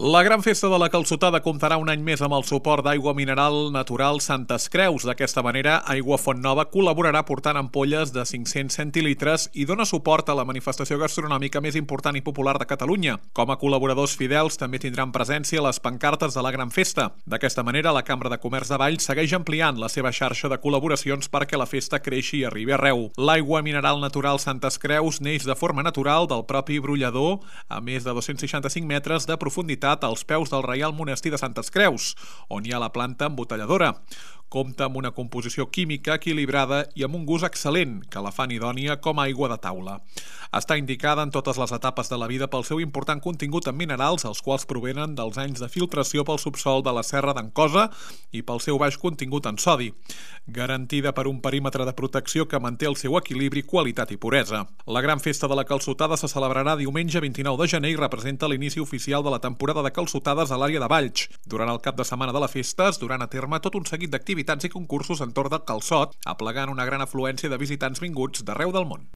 La gran festa de la calçotada comptarà un any més amb el suport d'aigua mineral natural Santes Creus. D'aquesta manera, Aigua Fontnova col·laborarà portant ampolles de 500 centilitres i dona suport a la manifestació gastronòmica més important i popular de Catalunya. Com a col·laboradors fidels també tindran presència les pancartes de la gran festa. D'aquesta manera, la Cambra de Comerç de Valls segueix ampliant la seva xarxa de col·laboracions perquè la festa creixi i arribi arreu. L'aigua mineral natural Santes Creus neix de forma natural del propi brollador a més de 265 metres de profunditat als peus del Reial Monestir de Santes Creus, on hi ha la planta embotelladora. Compta amb una composició química equilibrada i amb un gust excel·lent, que la fan idònia com a aigua de taula. Està indicada en totes les etapes de la vida pel seu important contingut en minerals, els quals provenen dels anys de filtració pel subsol de la Serra d'en Cosa i pel seu baix contingut en sodi, garantida per un perímetre de protecció que manté el seu equilibri, qualitat i puresa. La gran festa de la calçotada se celebrarà diumenge 29 de gener i representa l'inici oficial de la temporada de calçotades a l'àrea de Valls. Durant el cap de setmana de la festa es duran a terme tot un seguit d'activitats i concursos entorn del calçot, aplegant una gran afluència de visitants vinguts d'arreu del món.